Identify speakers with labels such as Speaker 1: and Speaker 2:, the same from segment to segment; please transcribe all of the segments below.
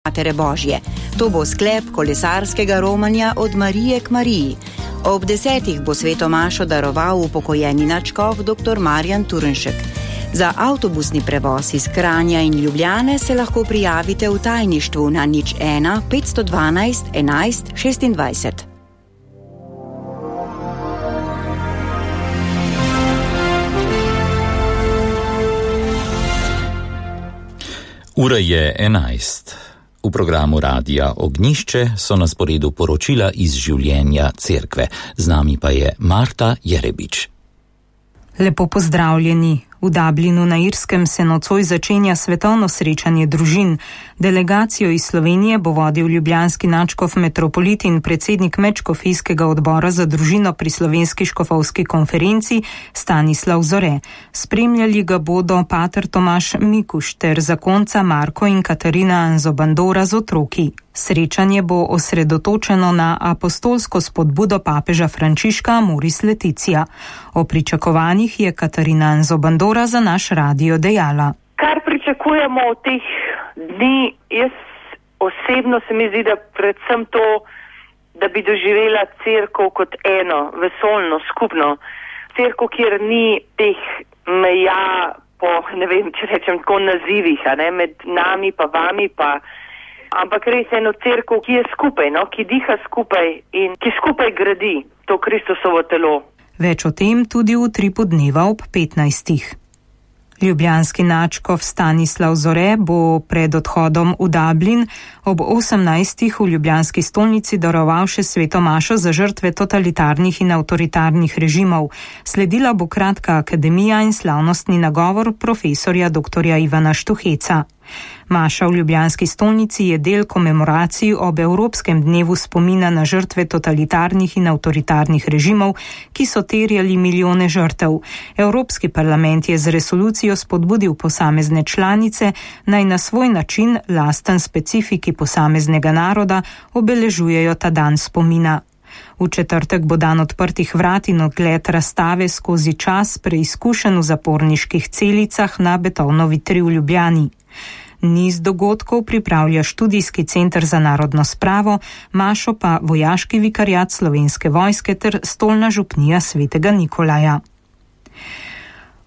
Speaker 1: Matere Božje. To bo sklep kolesarskega romanja od Marije k Mariji. Ob 10. bo sveto mašo daroval upokojeni nadškof dr. Marjan Turnšek. Za avtobusni prevoz iz Kranja in Ljubljane se lahko prijavite v tajništvu na 01 512 11 26.
Speaker 2: Ura je 11. V programu Radia Ognjišče so na sporedu poročila iz življenja cerkve. Z nami pa je Marta Jerebič.
Speaker 3: Lepo pozdravljeni. V Dublinu na Irskem se nocoj začenja svetovno srečanje družin. Delegacijo iz Slovenije bo vodil ljubljanski nadškof metropolit in predsednik medškofijskega odbora za družino pri Slovenski škofovski konferenci Stanislav Zore. Spremljali ga bodo pater Tomaž Mikuš ter zakonca Marko in Katarina Anzobandora z otroki. Srečanje bo osredotočeno na apostolsko spodbudo papeža Frančiška Amoris Laetitia. O pričakovanjih je Katarina Anzobandora za naš radio dejala.
Speaker 4: Kar pričakujemo od teh dni, jaz osebno se mi zdi, da predvsem to, da bi doživela cerkev kot eno, vesoljno, skupno. Cerkev, kjer ni teh meja po, ne vem, če rečem tako nazivih, med nami pa vami pa, ampak res eno cerkev, ki je skupaj, ki diha skupaj in ki skupaj gradi to Kristusovo telo.
Speaker 3: Več o tem tudi v Utripu dneva ob 15. Ljubljanski nadškof Stanislav Zore bo pred odhodom v Dublin ob 18. v ljubljanski stolnici daroval še sveto mašo za žrtve totalitarnih in avtoritarnih režimov. Sledila bo kratka akademija in slavnostni nagovor profesorja dr. Ivana Štuheca. Maša v ljubljanski stolnici je del komemoracij ob Evropskem dnevu spomina na žrtve totalitarnih in avtoritarnih režimov, ki so terjali milijone žrtev. Evropski parlament je z resolucijo spodbudil posamezne članice, naj na svoj način, lasten specifiki posameznega naroda, obeležujejo ta dan spomina. V četrtek bo dan odprtih vrat in ogled razstave skozi čas preizkušen v zaporniških celicah na Betovnovi 3 v Ljubljani. Niz dogodkov pripravlja študijski center za narodno spravo, mašo pa vojaški vikariat Slovenske vojske ter stolna župnija svetega Nikolaja.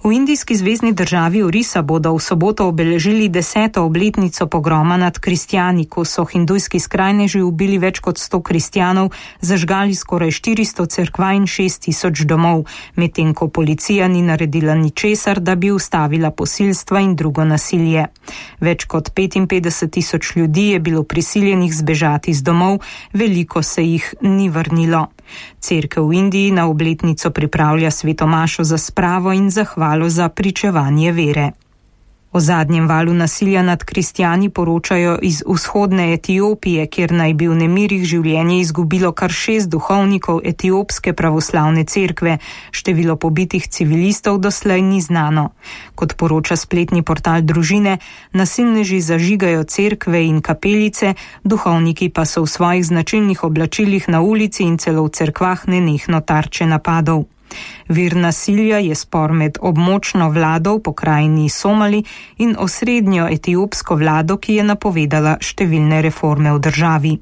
Speaker 3: V indijski zvezni državi Orisa bodo v soboto obeležili 10. obletnico pogroma nad kristjani, ko so hindujski skrajneži ubili več kot 100 kristjanov, zažgali skoraj 400 cerkva in 6000 domov, medtem ko policija ni naredila ničesar, da bi ustavila posilstva in drugo nasilje. Več kot 55,000 ljudi je bilo prisiljenih zbežati z domov, veliko se jih ni vrnilo. Cerkev v Indiji na obletnico pripravlja sveto mašo za spravo in zahvalo za pričevanje vere. O zadnjem valu nasilja nad kristjani poročajo iz vzhodne Etiopije, kjer naj bi v nemirih življenje izgubilo kar 6 duhovnikov etiopske pravoslavne cerkve. Število pobitih civilistov doslej ni znano. Kot poroča spletni portal Družine, nasilneži zažigajo cerkve in kapelice, duhovniki pa so v svojih značilnih oblačilih na ulici in celo v cerkvah nenehno tarče napadov. Vir nasilja je spor med območno vlado v pokrajini Somali in osrednjo etiopsko vlado, ki je napovedala številne reforme v državi.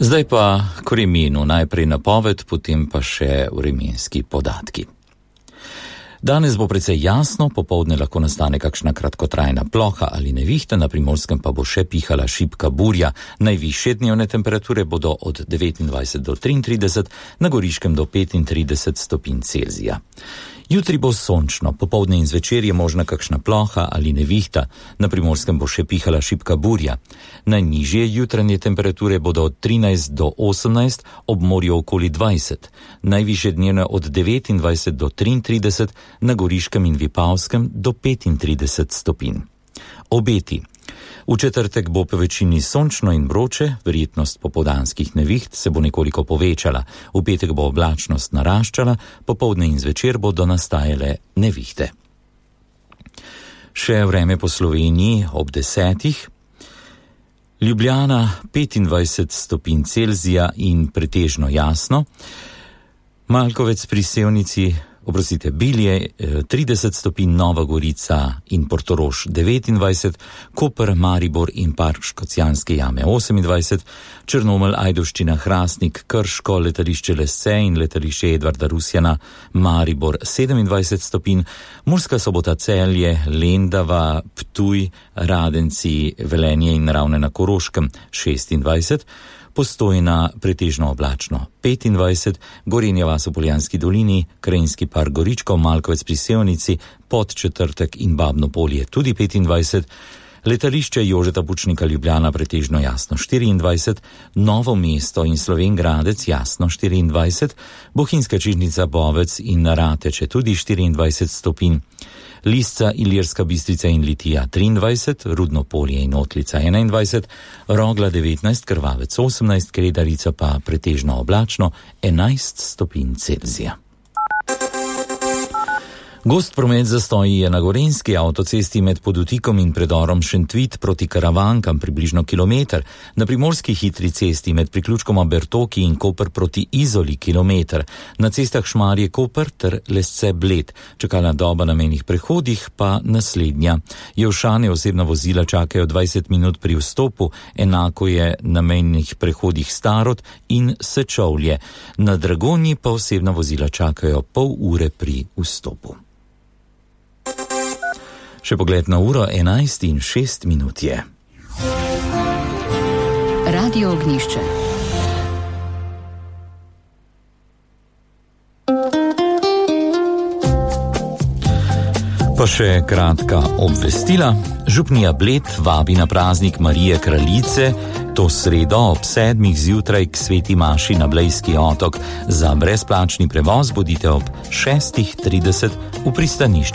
Speaker 2: Zdaj pa k vremenu, najprej napoved, potem pa še vremenski podatki. Danes bo precej jasno, popoldne lahko nastane kakšna kratkotrajna ploha ali nevihta, na Primorskem pa bo še pihala šibka burja. Najvišje dnevne temperature bodo od 29 do 33, na Goriškem do 35 stopinj Celzija. Jutri bo sončno, popoldne in zvečer je možna kakšna ploha ali nevihta, na Primorskem bo še pihala šibka burja. Najnižje jutranje temperature bodo od 13 do 18, ob morju okoli 20, najvišje dnevne od 29 do 33, na Goriškem in Vipavskem do 35 stopinj. Obeti. V četrtek bo po večini sončno in vroče, verjetnost popoldanskih neviht se bo nekoliko povečala. V petek bo oblačnost naraščala, popoldne in zvečer bodo nastajale nevihte. Še vreme po Sloveniji ob 10. Ljubljana 25 stopinj Celzija in pretežno jasno. Malkovec pri Sevnici Bilje 30 stopinj, Nova Gorica in Portorož 29, Koper, Maribor in Park Škocjanske jame 28, Črnomelj, Ajdovščina, Hrastnik, Krško, letališče Lesce in letališče Edvarda Rusjana, Maribor 27 stopinj, Murska Sobota, Celje, Lendava, Ptuj, Radenci, Velenje in Ravne na Koroškem 26, Postojna pretežno oblačno 25, Gorenja vas v Poljanski dolini, Krajinski park Goričko, Malkovec pri Sevnici, Podčetrtek in Babno Polje tudi 25, letališče Jožeta Pučnika Ljubljana pretežno jasno 24, Novo mesto in Slovenj Gradec jasno 24, Bohinjska Čižnica, Bovec in Rateče tudi 24 stopinj, Lisca, Ilirska Bistrica in Litija 23, Rudno Polje in Otlica 21, Rogla 19, Krvavec 18, Kredarica pa pretežno oblačno 11 stopinj Celzija. Gost promet zastoji je na Gorenjski avtocesti med Podutikom in predorom Šentvit proti Karavankam približno kilometer, na Primorski hitri cesti med priključkoma Bertoki in Koper proti Izoli kilometer, na cestah Šmarje Koper ter Lesce Bled, čakalna doba na mejnih prehodih pa naslednja. Jelšane osebna vozila čakajo 20 minut pri vstopu, enako je na mejnih prehodih Starod in Sečovlje. Na Dragonji pa osebna vozila čakajo pol ure pri vstopu. Še pogled na uro 11:06 je.
Speaker 1: Radio Ognjišče.
Speaker 2: Pa še kratka obvestila. Župnija Bled vabi na praznik Marije Kraljice to sredo ob 7 zjutraj k sveti maši na Blejski otok. Za brezplačni prevoz bodite ob 6:30 v pristanišču